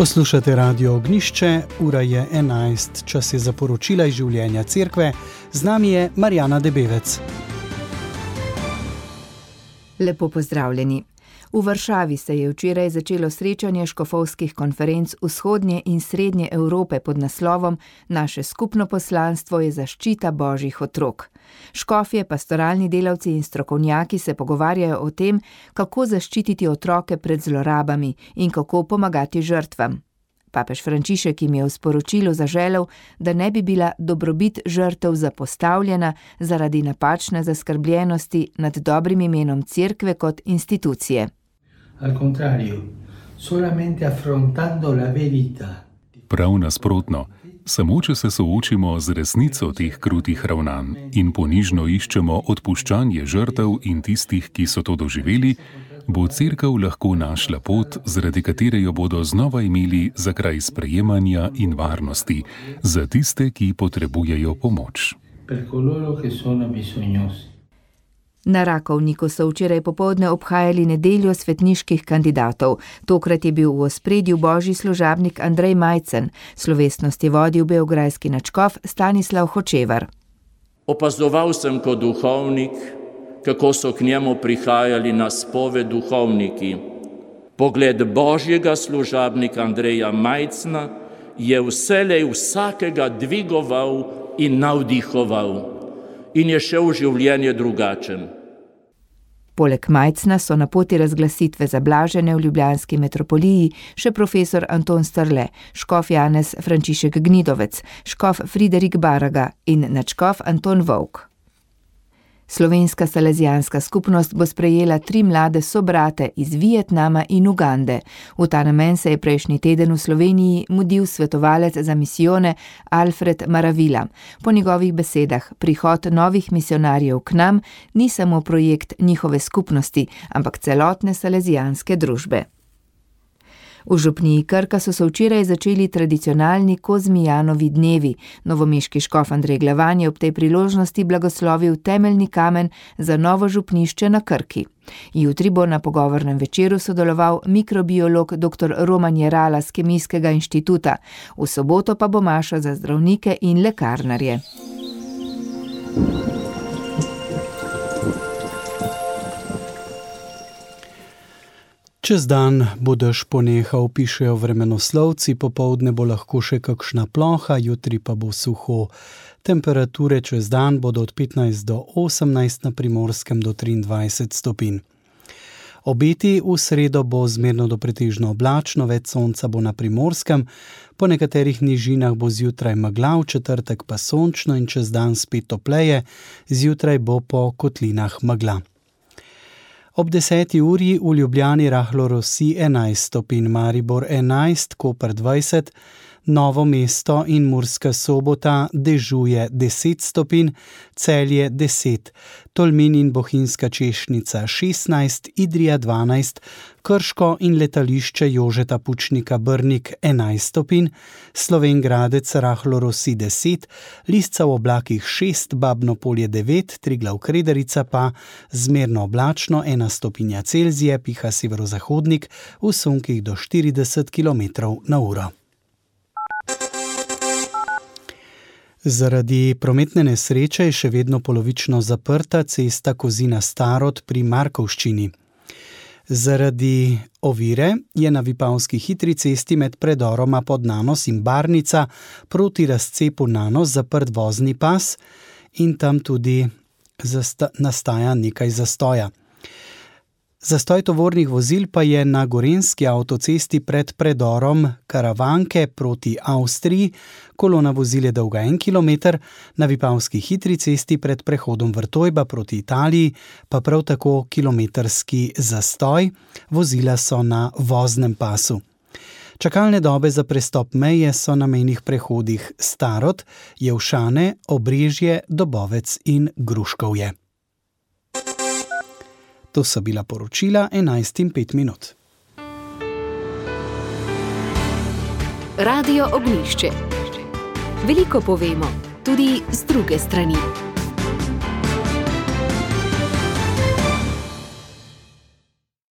Poslušate Radio Ognjišče, ura je 11, čas je za poročila iz življenja cerkve. Z nami je Marjana Debevec. Lepo pozdravljeni. V Varšavi se je včeraj začelo srečanje škofovskih konferenc Vzhodnje in Srednje Evrope pod naslovom Naše skupno poslanstvo je zaščita božjih otrok. Škofje, pastoralni delavci in strokovnjaki se pogovarjajo o tem, kako zaščititi otroke pred zlorabami in kako pomagati žrtvam. Papež Frančišek jim je v sporočilu zaželel, da ne bi bila dobrobit žrtev zapostavljena zaradi napačne zaskrbljenosti nad dobrim imenom cerkve kot institucije. Al contrario, solamente affrontando la verità. Prav nasprotno, samo če se soočimo z resnico teh krutih ravnanj in ponižno iščemo odpuščanje žrtev in tistih, ki so to doživeli, bo cerkev lahko našla pot, zaradi katere jo bodo znova imeli za kraj sprejemanja in varnosti, za tiste, ki potrebujejo pomoč. Per coloro che sono bisognosi. Na Rakovniku so včeraj popoldne obhajali nedeljo svetniških kandidatov. Tokrat je bil v ospredju božji služabnik Andrej Majcen. Slovesnost je vodil beograjski nadškof Stanislav Hočevar. Opazoval sem kot duhovnik, kako so k njemu prihajali na spoved duhovniki. Pogled božjega služabnika Andreja Majcna je vselej vsakega dvigoval in navdihoval. In je šel v življenje drugačen. Poleg Majcna so na poti razglasitve za blažene v ljubljanski metropoliji še profesor Anton Strle, škof Janez Frančišek Gnidovec, škof Friderik Baraga in nadškof Anton Vovk. Slovenska salezijanska skupnost bo sprejela 3 mlade sobrate iz Vietnama in Ugande. V ta namen se je prejšnji teden v Sloveniji mudil svetovalec za misijone Alfred Maravila. Po njegovih besedah prihod novih misionarjev k nam ni samo projekt njihove skupnosti, ampak celotne salezijanske družbe. V župniji Krka so se včeraj začeli tradicionalni Kozmijanovi dnevi. Novomeški škof Andrej Glavan je ob tej priložnosti blagoslovil temeljni kamen za novo župnišče na Krki. Jutri bo na pogovornem večeru sodeloval mikrobiolog dr. Roman Jerala z Kemijskega inštituta. V soboto pa bo maša za zdravnike in lekarnarje. Čez dan bo dež ponehal, pišejo vremenoslovci, popoldne bo lahko še kakšna ploha, jutri pa bo suho. Temperature čez dan bodo od 15 do 18, na Primorskem do 23 stopinj. Obeti v sredo bo zmerno do pretežno oblačno, več sonca bo na Primorskem, po nekaterih nižinah bo zjutraj megla, v četrtek pa sončno in čez dan spet topleje, zjutraj bo po kotlinah megla. Ob 10. uri v Ljubljani rahlo rosi 11 stopinj, Maribor 11, Koper 20, Novo mesto in Murska Sobota dežuje 10 stopinj, Celje 10, Tolmin in Bohinjska Češnica 16, Idrija 12, Krško in letališče Jožeta Pučnika Brnik 11 stopinj, Slovenj Gradec rahlo rosi 10, Lisca v oblakih 6, Babno Polje 9, Triglav Krederica pa zmerno oblačno 1 stopinja Celzija, piha severozahodnik v sunkih do 40 km/h. Zaradi prometne nesreče je še vedno polovično zaprta cesta Kozina-Starod pri Markovščini. Zaradi ovire je na Vipavski hitri cesti med predoroma Podnanos in Barnica proti razcepu Nanos zaprt vozni pas in tam tudi nastaja nekaj zastoja. Zastoj tovornih vozil pa je na gorenjski avtocesti pred predorom Karavanke proti Avstriji, kolona vozil je dolga 1 kilometer, na Vipavski hitri cesti pred prehodom Vrtojba proti Italiji pa prav tako kilometrski zastoj, vozila so na voznem pasu. Čakalne dobe za prestop meje so na mejnih prehodih Starod, Jelšane, Obrežje, Dobovec in Gruškovje. To so bila poročila 11:05. Radio Ognjišče. Veliko povemo, tudi z druge strani.